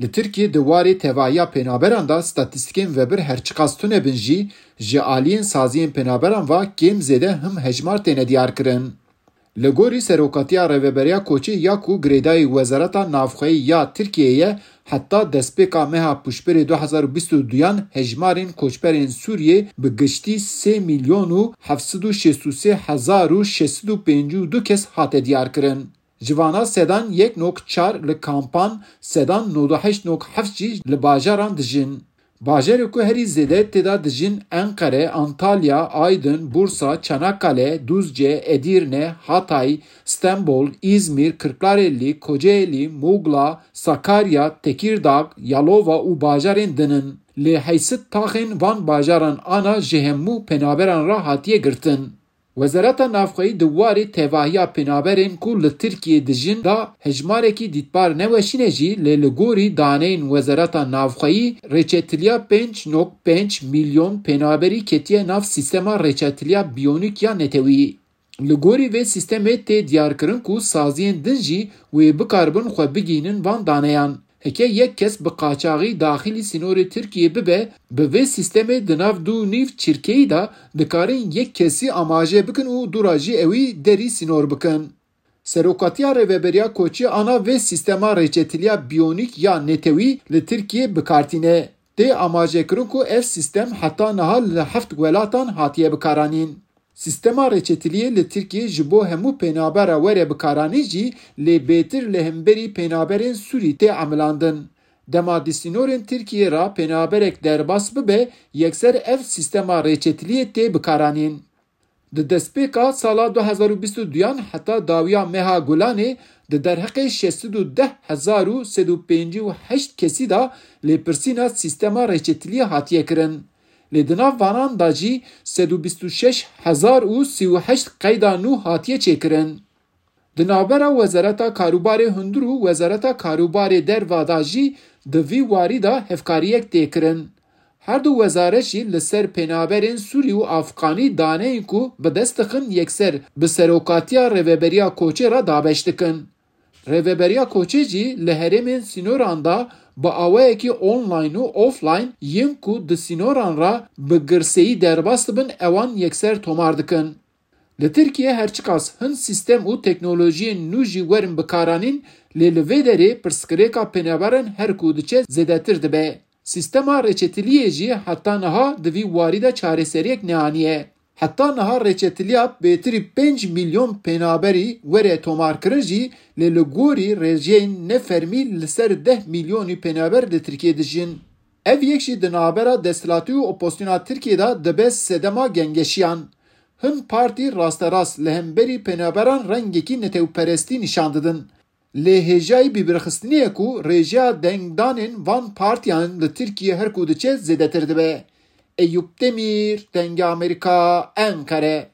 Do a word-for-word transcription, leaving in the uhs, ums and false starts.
Li Tirkiyê di warê tevahiya pênaberan de statîstîkên vebir her çiqas tune bin jî, ji aliyên saziyên pênaberan ve kêm zêde him hejmar têne diyarkirin. Li gorî Serokatiya Rêveberiya Koçê ya ku girêdayî Wezareta Navxweyî ya Tirkiyeyê ye, heta destpêka meha Pûşberê du hezar û bîst û duyan hejmarên koçberên Sûriyê bi giştî sê milyon û heft sed û şêst û sê hezar û şeş sed û pêncî û du kes hate diyarkirin. Ji vana sedan yek nokta çar li kampan, sedan nod û heşt nokta heft jî li bajaran dijin. Bajarê ku herî zêde tê de dijin Enqere, Antalya, Aydin, Bursa, Çanakkale, Duzce, Edirne, Hatay, Stenbol, Îzmîr, Kirklarelî, Kocaelî, Mûgla, Sakarya, Tekîrdag, Yalova û bajarên din in. Lê heysit taxên van bajaran ana ji hemû penaberan re hatiye girtin. Wezareta Navxweyî di warê tevahiya penaberên ku li Tirkiyê dijin de hejmarekî dîtbar neweşîne jî, lê li gorî daneyên Wezareta Navxweyî, rêçetiliya pênc nokta pênc milyon penaberî ketiye nav sîstema rêçetiliya biyonîk ya netewî. Li gorî vê sîstemê tê diyarkirin ku saziyên din jî wê bikaribin xwe bigihînin van daneyan. Heke yek kes bi qaçaxî daxilî sînorê Tirkiyê bibe, bi vê sîstemê di nav du û nîv çirkeyî de dikarin yek kesî amaje bikin û dûra jî ewî derî sînor bikin. Serokatiya Rêveberiya Koçî ana vê sîstema rêçetiliya biyonîk ya netewî li Tirkiyê bi kar tîne. Tê amajekirin ku ev sîstem heta niha li heft welatan hatiye bikaranîn. Sîstema rêçetiliyê li Tirkiyê ji bo hemû pênabera were bikaranîn jî, lê bêtir li hemberî pênaberên Sûrî tê emilandin. Dema di sînorên Tirkiyê re pênaberek derbas bibe, yekser ev sîstema rêçetiliyê tê bikaranîn. Di destpêka sala du hezar û bîst û duyan heta dawiya meha Gulanê di derheqê şeş sed û deh hezar û sed û pêncî û heşt kesî de lêpirsîna sîstema rêçetiliyê hatiye kirin. Lê di nav vanan de jî sed û bîst û şeş hezar û sî û heşt qeyda nû hatiye çêkirin. Di navbera Wezareta Karûbarê Hundir û Wezareta Karûbarê Derve de jî di vî warî de hevkariyek tê kirin. Her du wezaret jî li ser pênaberên Sûrî û Afxanî daneyên ku bi dest dixin yekser bi Serokatiya Rêveberiya Koçê re dabeş dikin. Rêveberiya Koçê jî li herêmên sînoran de bi awayekî online û offline yên ku di sînoran re bi girseyî derbas dibin ewan yekser tomar dikin. Li Tirkiye her çiqas hin sîstem û teknolojiyên nû jî werin bikaranîn, lê li vê derê pirsgirêka pênaberan her ku diçe zêdetir dibe. Sîstema rêçetiliyê jî heta niha di vî warî de çareseriyek neaniye. Heta niha rêçetiliya bêtirî pênc milyon pênaberî were tomarkirin jî, lê li gorî rêjeyên nefermî li ser deh milyonî pênaber li Tirkiyê dijîn. Ev yek jî di navbera desthilatî û opozisyona Tirkiyê de dibe sedema gengeşiyan. Hin partî rasterast li hemberî pênaberan rengekî netewperestî nîşan didin. Lê hêjayî bîbirxistinê ye ku rêjeya dengdanên van partiyan li Tirkiyê her ku diçe zêdetir dibe. Eyûp Demîr, Dengê Amerîka, Enqere.